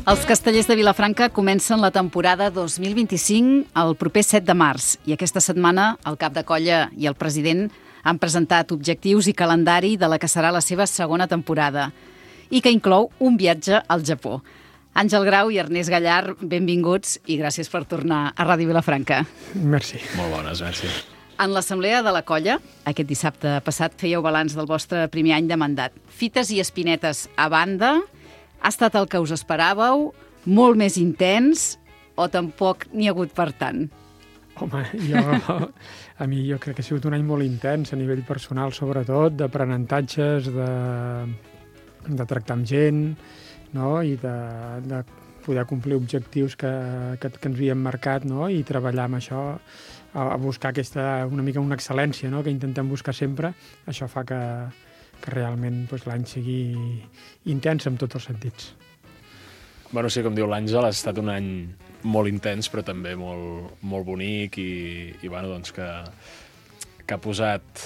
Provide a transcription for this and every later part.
Els Castellers de Vilafranca comencen la temporada 2025 el proper 7 de març i aquesta setmana el cap de colla i el president han presentat objectius i calendari de la que serà la seva segona temporada i que inclou un viatge al Japó. Àngel Grau i Ernest Gallar, benvinguts i gràcies per tornar a Ràdio Vilafranca. Merci. Molt bones, merci. En l'assemblea de la colla, aquest dissabte passat, fèieu balanç del vostre primer any de mandat. Fites i espinetes a banda, ha estat el que us esperàveu, molt més intens o tampoc n'hi ha hagut per tant? Home, jo crec que ha sigut un any molt intens a nivell personal, sobretot, d'aprenentatges, de tractar amb gent, no? I de poder complir objectius que ens havíem marcat, no? I treballar amb això, a buscar una mica una excel·lència, no? Que intentem buscar sempre. Això fa que realment l'any sigui intens en tots els sentits. Bueno, sí, com diu l'Àngel, ha estat un any molt intens, però també molt bonic i bueno, doncs que ha posat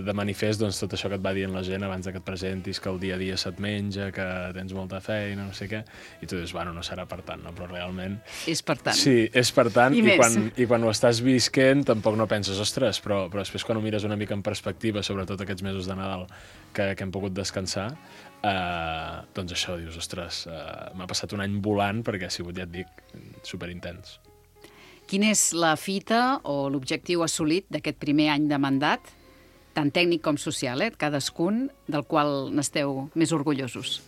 de manifest doncs, tot això que et va dient la gent abans que et presentis, que el dia a dia se't menja, que tens molta feina, no sé què, i tu dius, bueno, no serà per tant, no? Però realment... És per tant. Sí, és per tant, i quan ho estàs visquent tampoc no penses, ostres, però després quan ho mires una mica en perspectiva, sobretot aquests mesos de Nadal que hem pogut descansar, doncs això, dius, ostres, m'ha passat un any volant perquè ha sigut, ja et dic, superintens. Quina és la fita o l'objectiu assolit d'aquest primer any de mandat, tant tècnic com social, cadascun, del qual n'esteu més orgullosos?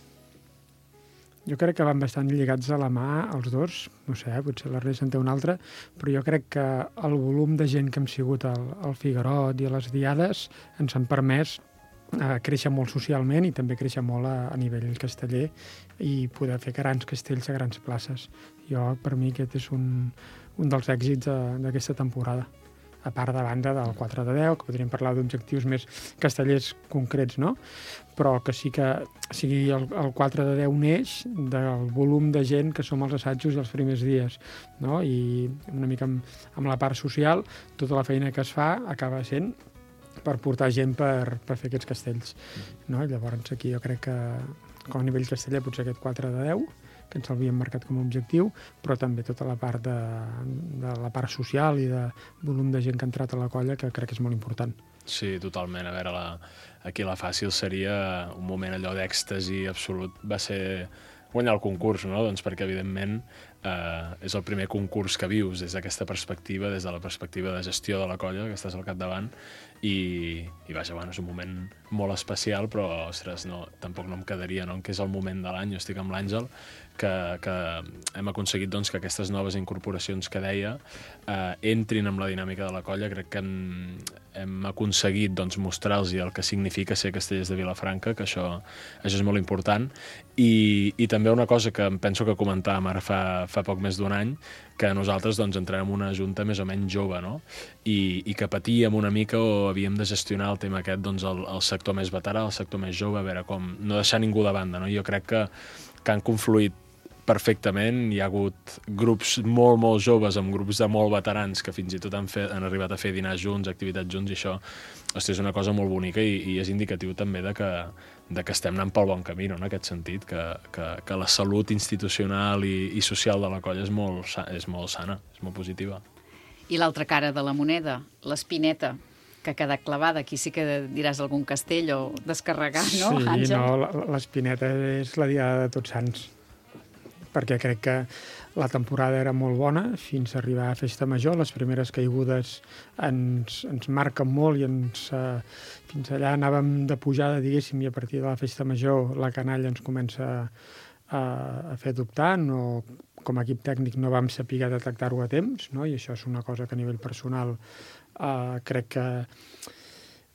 Jo crec que van bastant lligats a la mà els dos, no sé, potser l'Ernest en té un altre, però jo crec que el volum de gent que hem sigut al Figuerot i a les Diades ens han permès créixer molt socialment i també créixer molt a nivell casteller i poder fer grans castells a grans places. Per mi aquest és un dels èxits d'aquesta temporada. A part de banda del 4 de 10, que podríem parlar d'objectius més castellers concrets, no? Però que sí que sigui el 4 de 10 neix del volum de gent que som als assajos i els primers dies, no? I una mica amb la part social, tota la feina que es fa acaba sent per portar gent per fer aquests castells, no? Llavors aquí jo crec que com a nivell casteller potser aquest 4 de 10, que ens l'havíem marcat com a objectiu, però també tota la part de la part social i de volum de gent que ha entrat a la colla, que crec que és molt important. Sí, totalment. A veure, aquí la fàcil seria un moment allò d'èxtasi absolut. Va ser guanyar el concurs, no? Doncs perquè, evidentment, és el primer concurs que vius des d'aquesta perspectiva, des de la perspectiva de gestió de la colla, que estàs al capdavant, i vaja, bueno, és un moment molt especial, però, ostres, tampoc no em quedaria, no?, que és el moment de l'any. Jo estic amb l'Àngel, que hem aconseguit doncs, que aquestes noves incorporacions que deia entrin en la dinàmica de la colla. Crec que hem aconseguit doncs, mostrar-los el que significa ser Castellers de Vilafranca, que això és molt important. I també una cosa que em penso que comentàvem ara fa poc més d'un any, que nosaltres doncs, entrem en una junta més o menys jove, no? I que patíem una mica o havíem de gestionar el tema aquest, doncs, el sector més veterà, el sector més jove, a veure com no deixar ningú de banda, no? Jo crec que han confluït perfectament. Hi ha hagut grups molt, molt joves amb grups de molt veterans que fins i tot han arribat a fer dinars junts, activitats junts, i això, hosti, és una cosa molt bonica i és indicatiu també de que estem anant pel bon camí, no?, en aquest sentit, que la salut institucional i social de la colla és molt sana, és molt positiva. I l'altra cara de la moneda, l'espineta, que ha quedat clavada. Aquí sí que diràs algun castell o descarregar, no, Àngel? Sí, no, l'espineta és la diada de Tots Sants, perquè crec que la temporada era molt bona fins a arribar a Festa Major. Les primeres caigudes ens marquen molt i fins allà anàvem de pujada, diguéssim, i a partir de la Festa Major la canalla ens comença a fer dubtar. No, com a equip tècnic no vam saber detectar-ho a temps, no? I això és una cosa que a nivell personal crec que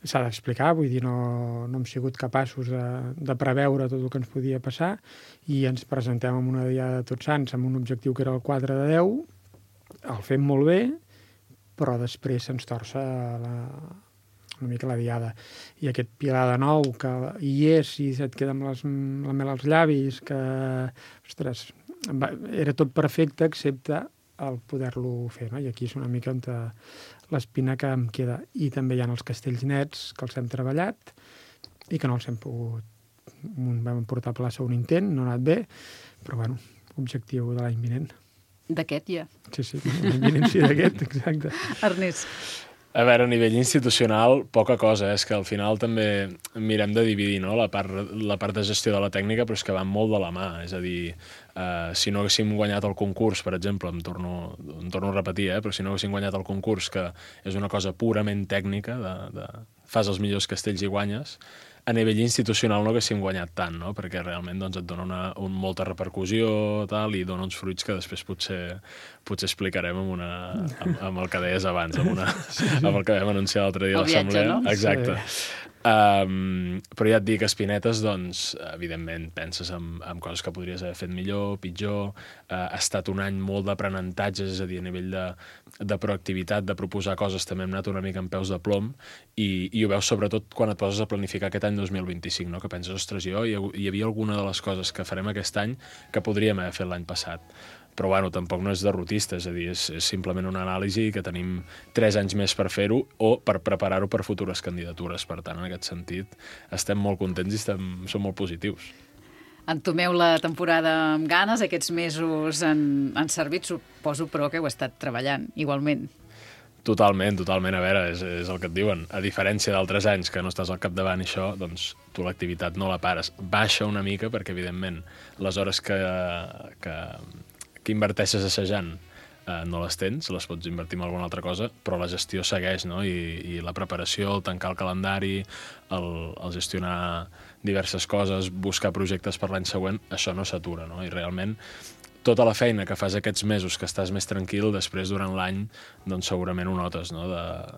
s'ha d'explicar, vull dir, no hem sigut capaços de preveure tot el que ens podia passar i ens presentem amb una diada de Tots Sants amb un objectiu que era el 4 de 10, el fem molt bé, però després se'ns torça una mica la diada. I aquest Pilar de nou, que hi és i et queda amb la mel als llavis, que, ostres, era tot perfecte excepte el poder-lo fer, no? I aquí és una mica on l'espina que em queda. I també hi ha els castells nets, que els hem treballat i que no els hem pogut... Vam portar a plaça un intent, no ha anat bé, però bueno, objectiu de l'any vinent. D'aquest ja. Sí, l'any vinent sí, d'aquest, exacte. Ernest. A veure, a nivell institucional, poca cosa, és que al final també mirem de dividir, no?, la part de gestió de la tècnica, però és que van molt de la mà. És a dir, si no haguéssim guanyat el concurs, per exemple, em torno a repetir, però si no haguéssim guanyat el concurs, que és una cosa purament tècnica, fas els millors castells i guanyes, a nivell institucional no haguéssim guanyat tant, no?, perquè realment doncs, et dona molta repercussió tal, i dona uns fruits que després potser explicarem amb el que deies abans, amb el que vam anunciar l'altre dia a l'assemblea. El viatge, no? Exacte. Sí. Però ja et dic, Espinetes, doncs, evidentment, penses en coses que podries haver fet millor, pitjor. Ha estat un any molt d'aprenentatges, és a dir, a nivell de proactivitat, de proposar coses, també hem anat una mica amb peus de plom, i ho veus sobretot quan et poses a planificar aquest any 2025, no? Que penses, ostres, hi havia alguna de les coses que farem aquest any que podríem haver fet l'any passat. Però, bueno, tampoc no és derrotista, és a dir, és simplement una anàlisi que tenim 3 anys més per fer-ho o per preparar-ho per futures candidatures. Per tant, en aquest sentit, estem molt contents i som molt positius. Entomeu la temporada amb ganes, aquests mesos han servit, suposo, però que heu estat treballant igualment. Totalment. A veure, és el que et diuen. A diferència d'altres anys que no estàs al capdavant i això, doncs tu l'activitat no la pares. Baixa una mica perquè, evidentment, les hores que inverteixes assajant no les tens, les pots invertir en alguna altra cosa, però la gestió segueix, no? I la preparació, el tancar el calendari, el gestionar diverses coses, buscar projectes per l'any següent, això no s'atura, no? I realment tota la feina que fas aquests mesos que estàs més tranquil, després durant l'any doncs segurament ho notes, no?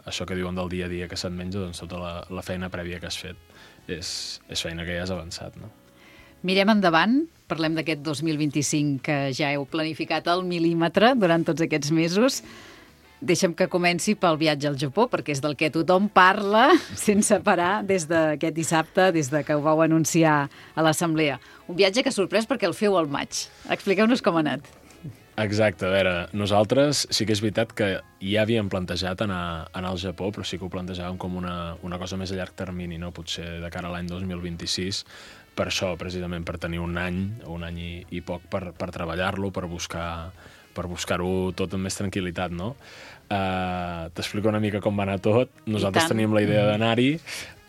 Això que diuen del dia a dia que se't menja, doncs tota la feina prèvia que has fet és feina que ja has avançat, no? Mirem endavant, parlem d'aquest 2025 que ja heu planificat al mil·límetre durant tots aquests mesos. Deixa'm que comenci pel viatge al Japó, perquè és del que tothom parla sense parar des d'aquest dissabte, des de que ho vau anunciar a l'assemblea. Un viatge que ha sorprès perquè el feu al maig. Expliqueu-nos com ha anat. Exacte, a veure, nosaltres sí que és veritat que ja havíem plantejat anar al Japó, però sí que ho plantejàvem com una cosa més a llarg termini, no? Potser de cara a l'any 2026, per això, precisament, per tenir un any i poc per treballar-lo, per buscar-ho tot amb més tranquil·litat, no? T'explico una mica com va anar tot. Nosaltres teníem la idea d'anar-hi.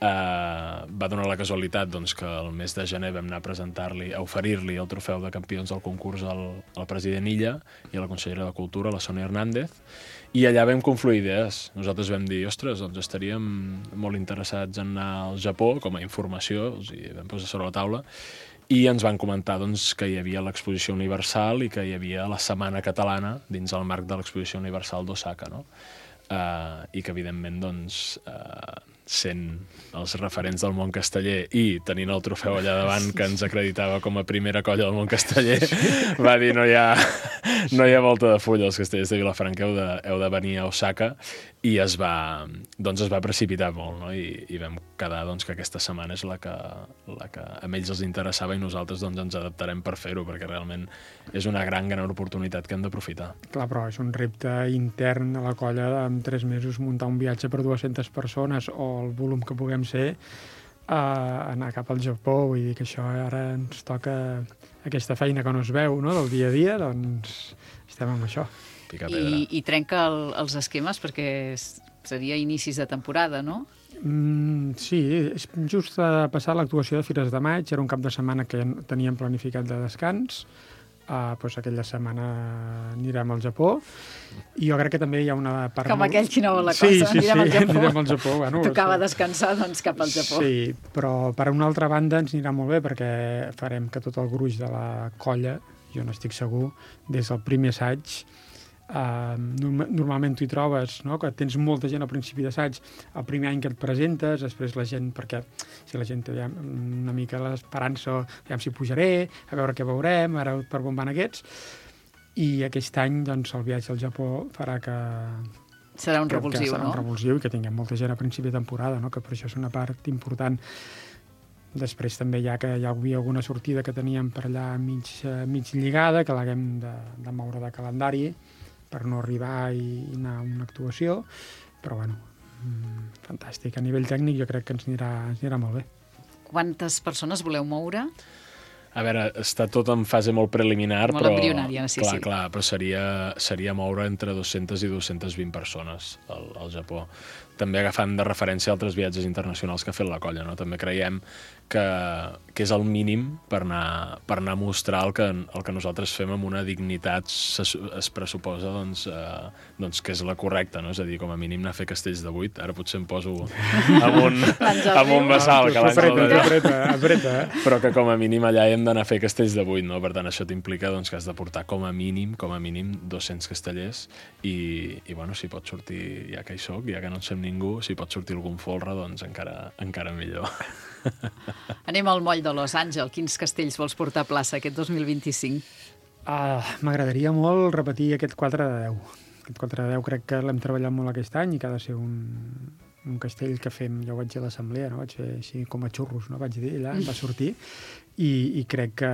Va donar la casualitat doncs, que el mes de gener vam anar a oferir-li el trofeu de campions del concurs al president Illa i a la consellera de Cultura, la Sònia Hernández, i allà vam confluir idees. Nosaltres vam dir, ostres, doncs estaríem molt interessats en anar al Japó, com a informació, els hi vam posar sobre la taula, i ens van comentar doncs, que hi havia l'Exposició Universal i que hi havia la Setmana Catalana dins el marc de l'Exposició Universal d'Osaka, no? I que, evidentment, doncs, sent els referents del món casteller i tenint el trofeu allà davant que ens acreditava com a primera colla del món casteller, va dir no hi ha volta de full, els castellers de Vilafranca heu de venir a Osaka, i es va precipitar molt, no? I vam quedar doncs, que aquesta setmana és la que a ells els interessava i nosaltres doncs, ens adaptarem per fer-ho, perquè realment és una gran oportunitat que hem d'aprofitar. Clar, però és un repte intern a la colla en 3 mesos muntar un viatge per 200 persones o el volum que puguem ser, anar cap al Japó. Vull dir que això ara ens toca aquesta feina que no es veu, no?, del dia a dia, doncs estem amb això. Picar pedra. I trenca els esquemes perquè seria inicis de temporada, no? Sí, és just passar l'actuació de Fires de Maig, era un cap de setmana que teníem planificat de descans. Doncs aquella setmana anirem al Japó, i jo crec que també hi ha una part... Com aquell qui no vol la cosa, anirem al Japó. Bueno, tocava descansar, doncs cap al Japó. Sí, però per una altra banda ens anirà molt bé perquè farem que tot el gruix de la colla, jo n'estic segur, des del primer assaig, normalment tu hi trobes, no?, que tens molta gent al principi d'assaig, el primer any que et presentes, després la gent, perquè si la gent té una mica l'esperança, aviam si pujaré, a veure què veurem, ara per on van aquests, i aquest any doncs, el viatge al Japó farà que... Serà un revulsiu, serà un revulsiu, i que tinguem molta gent a principi de temporada, no?, que per això és una part important. Després també hi havia alguna sortida que teníem per allà mig lligada, que l'haguem de moure de calendari, per no arribar i anar a una actuació, però bueno, fantàstic. A nivell tècnic jo crec que ens anirà molt bé. Quantes persones voleu moure? A veure, està tot en fase molt preliminar, molt embrionària, sí. Clar, però seria moure entre 200 i 220 persones al Japó. També agafant de referència altres viatges internacionals que ha fet la colla, no? També creiem que és el mínim per anar a mostrar el que nosaltres fem amb una dignitat es pressuposa doncs que és la correcta, no? És a dir, com a mínim anar a fer castells de 8. Ara potser em poso amb un bassal que apreta. Però que com a mínim allà hem d'anar a fer castells de 8, no? Per tant, això t'implica doncs, que has de portar com a mínim 200 castellers i bueno, si pot sortir, ja que hi soc, ja que no en sem ningú, si pot sortir algun folre, doncs encara millor. Anem al moll de Los Àngels. Quins castells vols portar a plaça aquest 2025? M'agradaria molt repetir aquest 4 de 10. Aquest 4 de 10 crec que l'hem treballat molt aquest any i que ha de ser un castell que fem, ja ho vaig dir a l'assemblea, no? Vaig fer així com a xurros, no? Vaig dir, allà va sortir, i crec que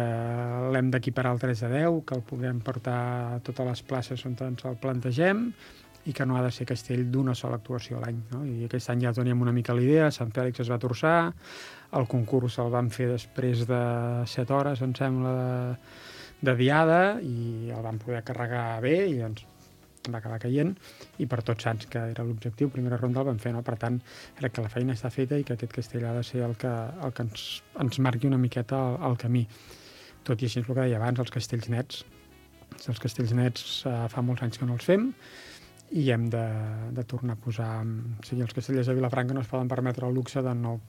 l'hem d'equiparar al 3 de 10, que el puguem portar a totes les places on ens el plantegem, i que no ha de ser castell d'una sola actuació a l'any, no? I aquest any ja teníem una mica la idea, Sant Fèlix es va torçar, el concurs el vam fer després de 7 hores, em sembla, de diada, i el vam poder carregar bé, i doncs va acabar caient, i per Tots Sants, que era l'objectiu, primera ronda el vam fer, no? Per tant, crec que la feina està feta i que aquest castell ha de ser el que ens marqui una miqueta el camí. Tot i així, el que deia abans, els castells nets. Els castells nets fa molts anys que no els fem, i hem de tornar a posar... O sigui, els castellers de Vilafranca no es poden permetre el luxe de no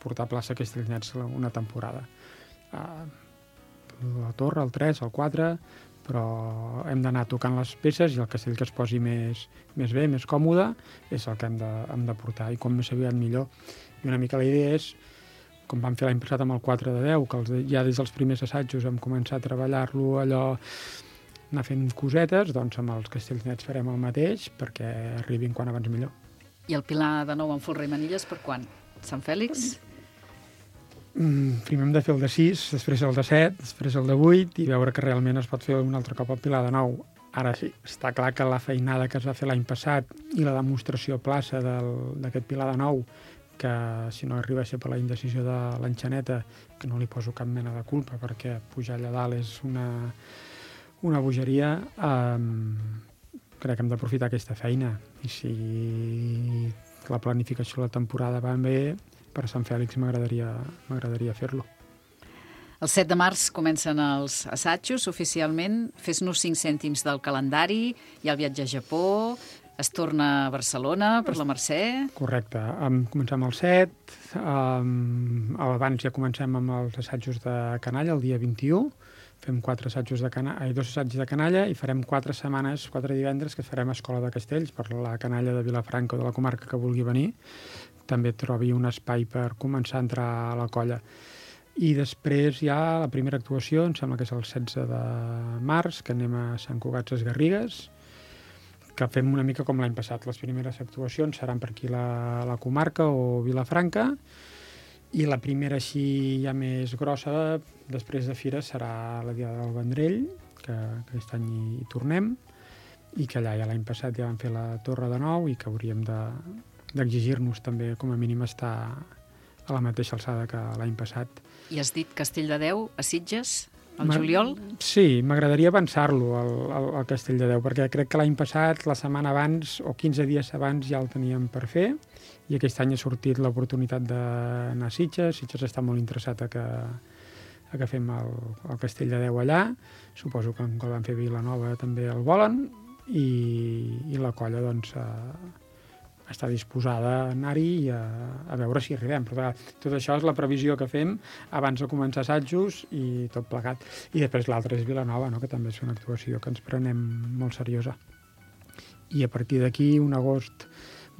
portar a plaça castells nets una temporada. La Torre, el 3, el 4, però hem d'anar tocant les peces i el castell que es posi més bé, més còmode, és el que hem de portar, i com més aviat millor. I una mica la idea és, com vam fer l'any passat amb el 4 de 10, que ja des dels primers assajos hem començat a treballar-lo allò, anar fent cosetes, doncs amb els castells nets farem el mateix perquè arribin quan abans millor. I el Pilar de nou amb folre i manilles per quan? Sant Fèlix? Primer hem de fer el de 6, després el de 7, després el de 8 i veure que realment es pot fer un altre cop el Pilar de 9. Ara sí, està clar que la feinada que es va fer l'any passat i la demostració a plaça d'aquest Pilar de 9, que si no arriba a ser per la indecisió de l'Enxaneta, que no li poso cap mena de culpa perquè pujar allà dalt és una bogeria, crec que hem d'aprofitar aquesta feina, i si la planificació de la temporada va bé, per Sant Fèlix m'agradaria fer-lo. El 7 de març comencen els assajos oficialment. Fes-nos 5 cèntims del calendari, hi ha el viatge a Japó, es torna a Barcelona per la Mercè. Correcte. Comencem el 7, abans ja comencem amb els assajos de Canalla, el dia 21, fem 2 assajos de Canalla i farem 4 setmanes, 4 divendres, que farem Escola de Castells per la Canalla de Vilafranca o de la comarca que vulgui venir. També trobi un espai per començar a entrar a la colla. I després hi ha la primera actuació, em sembla que és el 16 de març, que anem a Sant Cugat Sesgarrigues, que fem una mica com l'any passat. Les primeres actuacions seran per aquí la comarca o Vilafranca, i la primera així ja més grossa, després de Fira, serà la Diada del Vendrell, que aquest any hi tornem, i que allà ja l'any passat ja vam fer la Torre de Nou i que hauríem d'exigir-nos també, com a mínim, estar a la mateixa alçada que l'any passat. I has dit Castell de Déu a Sitges, al juliol? Sí, m'agradaria avançar-lo, al Castell de Déu, perquè crec que l'any passat, la setmana abans, o 15 dies abans, ja el teníem per fer, i aquest any ha sortit l'oportunitat d'anar a Sitges. Sitges està molt interessat a que fem el Castell de Déu allà. Suposo que quan van fer Vilanova també el volen, i la colla doncs està disposada a anar-hi i a veure si arribem. Però tot això és la previsió que fem abans de començar assajos i tot plegat. I després l'altre és Vilanova, no? Que també és una actuació que ens prenem molt seriosa. I a partir d'aquí, un agost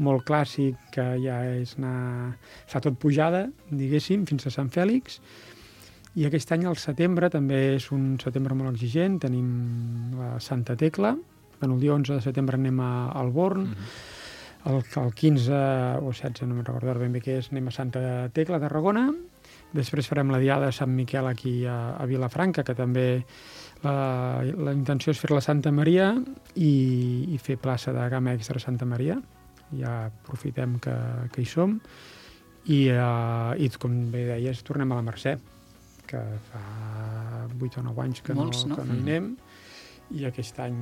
molt clàssic, que ja és fa tot pujada, diguéssim, fins a Sant Fèlix. I aquest any, al setembre, també és un setembre molt exigent. Tenim la Santa Tecla. El dia 11 de setembre anem a Alborn. El 15 o 16, no me'n recordo ben bé què és, anem a Santa Tecla, a Tarragona. Després farem la Diada de Sant Miquel aquí a Vilafranca, que també la intenció és fer la Santa Maria i fer plaça de gamma extra a Santa Maria. Ja aprofitem que hi som. I com bé deies, tornem a la Mercè, que fa 8 o 9 anys que Molts, no? que no hi anem, i aquest any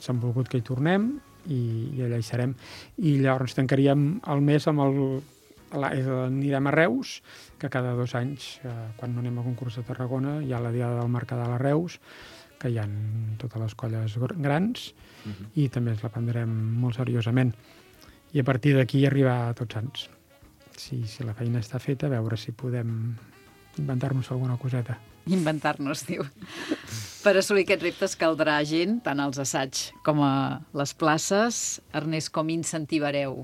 s'han volgut que hi tornem, i allà hi serem. I llavors tancaríem el mes amb anirem a Reus, que cada 2 anys, quan no anem a concurs de Tarragona, hi ha la Diada del Mercadal a Reus, que hi ha totes les colles grans, i també ens la prendrem molt seriosament. I a partir d'aquí arribar a Tots Sants. Si la feina està feta, a veure si podem inventar-nos alguna coseta. Inventar-nos, diu. Per assolir aquests reptes caldrà gent, tant als assaigs com a les places. Ernest, com incentivareu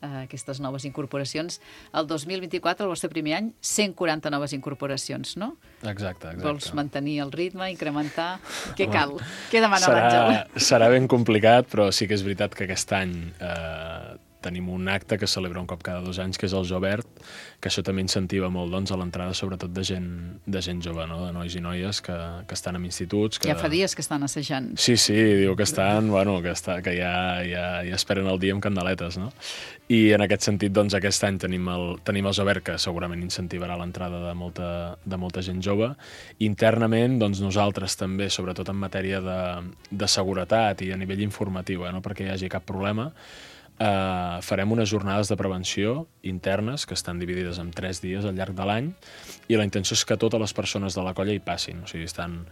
aquestes noves incorporacions? El 2024, el vostre primer any, 140 noves incorporacions, no? Exacte. Vols mantenir el ritme, incrementar? Què cal? Què demana l'Àngel? Serà ben complicat, però sí que és veritat que aquest any tenim un acte que celebra un cop cada 2 anys, que és el Jovert, que això també incentiva molt, doncs, a l'entrada sobretot de gent jove, no? De nois i noies que estan en instituts. Ja fa dies que estan assajant. Sí, diu que estan, que ja esperen el dia amb candeletes, no? I en aquest sentit, doncs, aquest any tenim el Jovert, que segurament incentivarà l'entrada de molta gent jove. Internament, doncs, nosaltres també, sobretot en matèria de seguretat i a nivell informatiu, no perquè hi hagi cap problema, farem unes jornades de prevenció internes que estan dividides en 3 dies al llarg de l'any, i la intenció és que totes les persones de la colla hi passin. O sigui, estan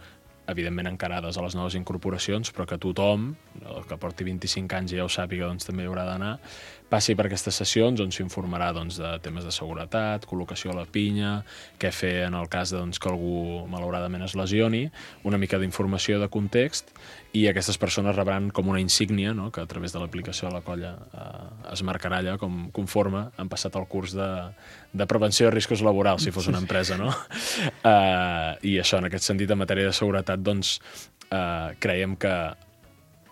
evidentment encarades a les noves incorporacions, però que tothom, el que porti 25 anys i ja ho sàpiga, doncs també hi haurà d'anar, passi per aquestes sessions on s'informarà, doncs, de temes de seguretat, col·locació a la pinya, què fer en el cas de, doncs, que algú malauradament es lesioni, una mica d'informació de context, i aquestes persones rebran com una insígnia, no?, que a través de l'aplicació de la colla es marcarà allà conforme han passat el curs de prevenció de riscos laborals, si fos una empresa, no? I això, en aquest sentit, en matèria de seguretat, doncs, creiem que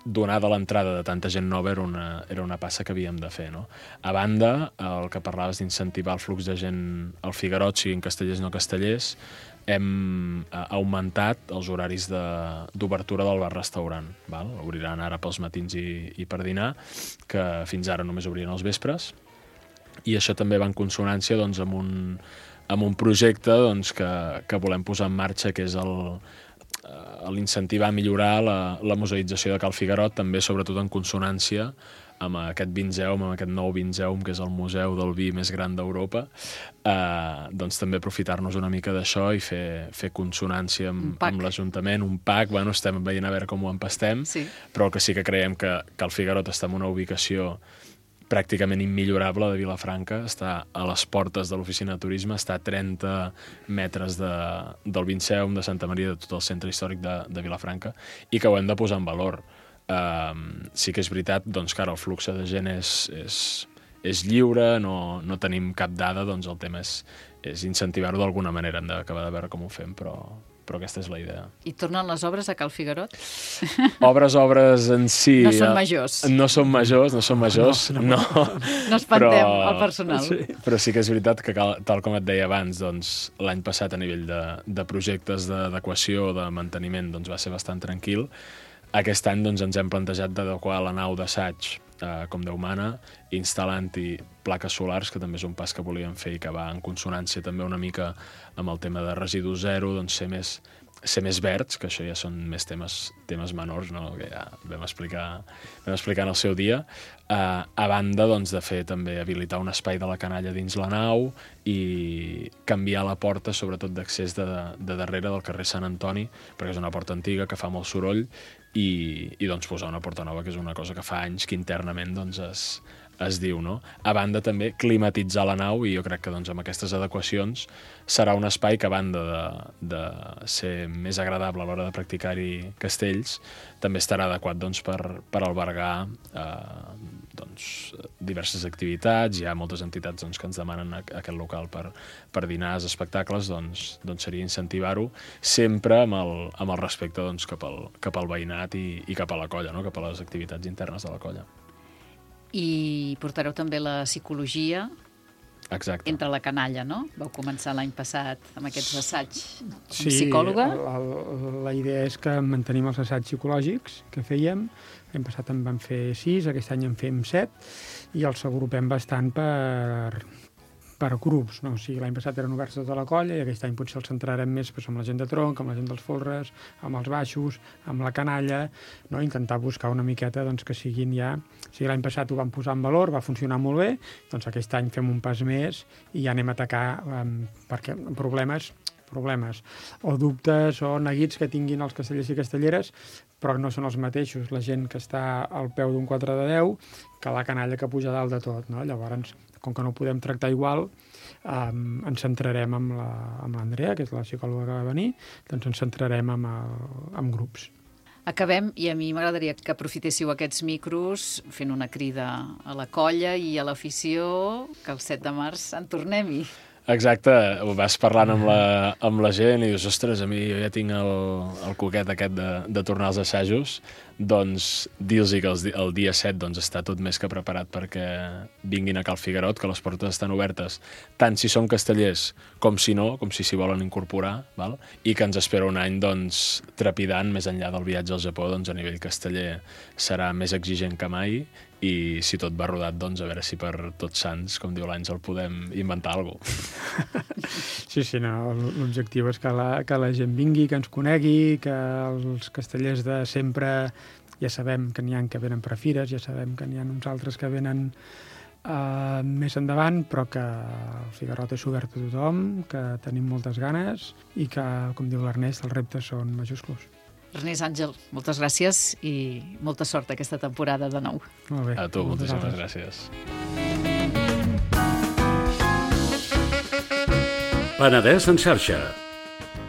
donada l'entrada de tanta gent nova era una passa que havíem de fer, no? A banda, el que parlaves d'incentivar el flux de gent al Figuerot, siguin castellers o no castellers, hem augmentat els horaris d'obertura del bar-restaurant. Obriran ara pels matins i per dinar, que fins ara només obrien els vespres, i això també va en consonància, doncs, amb un projecte, doncs, que volem posar en marxa, que és l'incentivar a millorar la museïtzació de Cal Figuerot, també sobretot en consonància amb aquest Vinzeum, amb aquest nou Vinzeum, que és el museu del vi més gran d'Europa, doncs també aprofitar-nos una mica d'això i fer consonància amb l'Ajuntament, un PAC, estem veient a veure com ho empastem, però el que sí que creiem que el Figuerot està en una ubicació pràcticament immillorable de Vilafranca, està a les portes de l'oficina de turisme, està a 30 metres del Vinceum, de Santa Maria, de tot el centre històric de Vilafranca, i que ho hem de posar en valor. Sí que és veritat, doncs, que ara el flux de gent és lliure, no tenim cap dada, doncs el tema és incentivar-ho d'alguna manera, hem d'acabar de veure com ho fem, però aquesta és la idea. I tornen les obres a Cal Figuerot? Obres en si... No són majors. No són majors, no. No espantem el personal. Però sí que és veritat que, tal com et deia abans, doncs, l'any passat a nivell de projectes d'adequació, de manteniment, doncs va ser bastant tranquil. Aquest any, doncs, ens hem plantejat d'adequar la nau d'assaig com Déu mana, instal·lant-hi plaques solars, que també és un pas que volíem fer i que va en consonància també una mica amb el tema de residu zero, doncs ser més verds, que això ja són més temes menors, no?, que ja vam explicar en el seu dia, a banda, doncs, de fer també habilitar un espai de la canalla dins la nau i canviar la porta, sobretot d'accés de darrere del carrer Sant Antoni, perquè és una porta antiga que fa molt soroll, i doncs posar una porta nova, que és una cosa que fa anys que internament, doncs, es diu, no? A banda també climatitzar la nau, i jo crec que, doncs, amb aquestes adequacions serà un espai que, a banda de ser més agradable a l'hora de practicar-hi castells, també estarà adequat, doncs, per albergar diverses activitats. Hi ha moltes entitats, doncs, que ens demanen aquest local per dinars, espectacles, doncs seria incentivar-ho, sempre amb el respecte, doncs, cap al veïnat i cap a la colla, no?, cap a les activitats internes de la colla. I portareu també la psicologia. Exacte. Entre la canalla, no? Vau començar l'any passat amb aquests assaigs amb psicòloga. Sí, la idea és que mantenim els assaigs psicològics que fèiem. L'any passat en vam fer 6, aquest any en fem 7, i els agrupem bastant per grups, no? O sigui, l'any passat eren oberts tota la colla i aquest any potser els centrarem més amb la gent de tronc, amb la gent dels folres, amb els baixos, amb la canalla, no? Intentar buscar una miqueta doncs, que siguin ja... O sigui, l'any passat ho vam posar en valor, va funcionar molt bé, doncs aquest any fem un pas més i ja anem a atacar perquè problemes o dubtes o neguits que tinguin els castellers i castelleres, però no són els mateixos la gent que està al peu d'un 4 de 10 que la canalla que puja dalt de tot, no? Llavors, com que no ho podem tractar igual, ens centrarem amb l'Andrea, que és la psicòloga que va venir, doncs ens centrarem en grups. Acabem, i a mi m'agradaria que aprofitéssiu aquests micros fent una crida a la colla i a l'afició que el 7 de març en tornem-hi. Exacte, ho vas parlant amb la gent i dius, ostres, a mi jo ja tinc el coquet aquest de tornar als assajos, doncs dir-los que el dia 7 doncs, està tot més que preparat perquè vinguin a Cal Figuerot, que les portes estan obertes, tant si són castellers com si no, com si s'hi volen incorporar, val? I que ens espera un any doncs, trepidant, més enllà del viatge al Japó, doncs, a nivell casteller serà més exigent que mai, i si tot va rodat, doncs a veure si per Tots Sants, com diu l'Àngel, podem inventar alguna cosa. Sí, no, l'objectiu és que la gent vingui, que ens conegui, que els castellers de sempre ja sabem que n'hi ha que venen per a fires, ja sabem que n'hi ha uns altres que venen més endavant, però que el Figuerot és obert a tothom, que tenim moltes ganes i que, com diu l'Ernest, els reptes són majúsculs. Ernest, Àngel, moltes gràcies i molta sort aquesta temporada de nou. Molt bé. A tu, moltíssimes gràcies. Penedès en xarxa.